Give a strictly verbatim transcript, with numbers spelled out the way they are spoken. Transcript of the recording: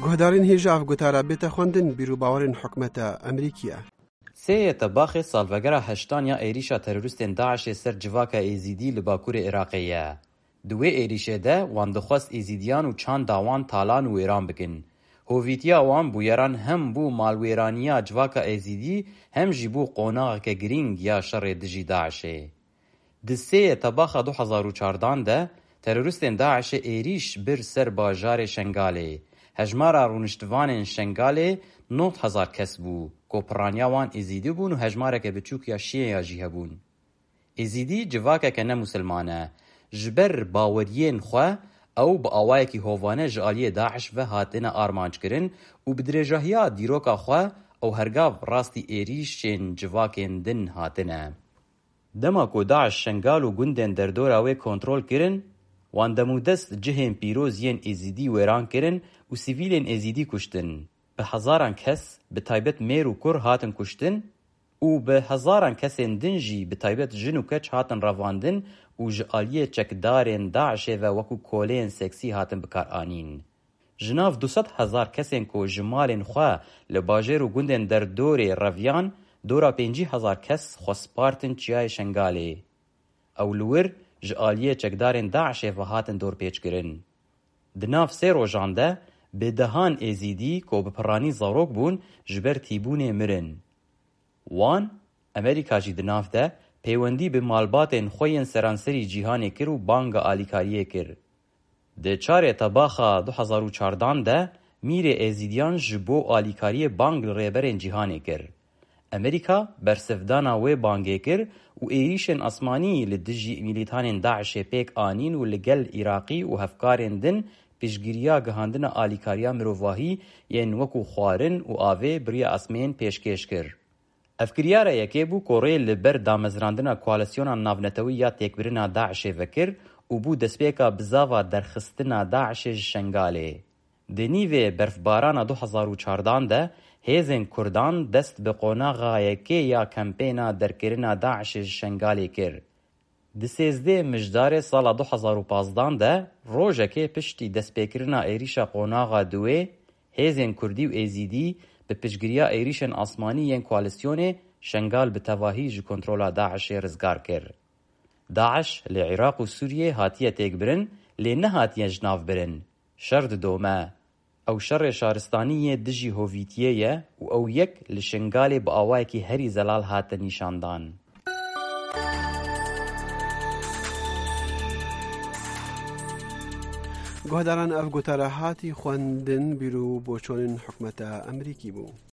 Guhdarên hêja ev gotara bête xwendin, bîr û bawerên hikûmeta Amerîkî ye. Sê Tebaxê salvegera heştan ya êrîşa terorîstên DAIŞê ser civaka Êzîdî li Bakurê Iraqê ye. Di wê êrîşê de wan dixwest Êzîdiyan û çanda wan talan û wêran bikin. Hovîtiya wan bûyeran hem bû malwêraniya civaka Êzîdî hem jî bû qonaxeke girîng ya şerê dijî DAIŞê. Di sê Tebaxa du hezar û çardan de terorîstên DAIŞê êrîş bir ser bajarê Şengalê. Hejmara rûniştivanên Şengalê nod hezar kes bû, ku piraniya wan Êzîdî bûn û hejmareke biçûk ya Şîeya jî hebûn. Êzîdî civakeke ne misilman e. Ji ber baweriyên xwe ew bi awayekî hovane ji aliyê DAIŞ ve hatine armanckirin û bi dirêjahiya dîroka xwe ew hergav rastî êrîşên civakên din hatine. Dema ku DAIŞ Şengal û gundên derdora wê kontrol kirin, wan demûdest cihên pîroz yên Êzîdî wêran kirin û sivîlên Êzîdî kuştin. Bi hezaran kes, bi taybet mêr û kur hatin kuştin û bi hezaran kesên din jî bi taybet jin û keç hatin revandin û ji aliyê çekdarên DAIŞê ve wekû koleyên seksî hatin bikaranîn. Ji nav du sed hezar kesên ku ji malên xwe li bajêr û gundên derdorê reviyan, dora pêncî hezar kes xwe spartin Çiyayê Şengalê. Ew li wir ji aliyê çekdarên DAIŞê ve hatin dorpêçkirin. Di nav sê rojan de bi dehan Êzîdî ku bi piranî zarok bûn ji ber tîbûnê mirin. Wan, Amerîka jî di nav de peywendî bi malbatên xwe yên seranserî cîhanê kir û banga alîkariyê kir. Di çarê Tebaxa du hezar û çardan de mîrê Êzîdiyan ji bo alîkariyê bang li rêberên cîhanê kir. Amerîka bersivdana wê bangê kir û êrîşên asmanî li dijî mîlîtanên DAIŞê pêk anîn û li gel Iraqî û hevkarên din piştgiriya gihandina alîkariya mirovahî yên wekû xwarin û avê bi riya asmên pêşkêş kir. Ev kiryara yekê bû ku rê li ber damezrandina koalîsyona navnetewî ya têkbirina DAIŞê vekir û bû destpêka bizava derxistina DAIŞê ji Şengalê. Di nîvê berfbarana du hezar û çardan de hêzên Kurdan dest bi qonaxa yekê ya kampêna derkirina DAIŞê ji Şengalê kir. Di sêzdeh Mijdarê sala du hezar û pazdan de, rojekê piştî destpêkirina êrîşa qonaxa duwê, hêzên Kurdî û Êzîdî bi piştgiriya êrîşên asmanî yên koalîsyonê Şengal bi tevahî ji kontrola DAIŞê rizgar kir. DAIŞ li Iraq û Sûriyê hatiye têkbirin, lê nehatiye ji nav birin. Şer didome. Ew şerê şaristanî yê dijî hovîtiyê ye û ew yek li Şingalê bi awayekî herî zelal hate nîşandan. Guhdaran, ev gotara hatî xwendin, bîr û boçonên hikûmeta Amerîkî bû.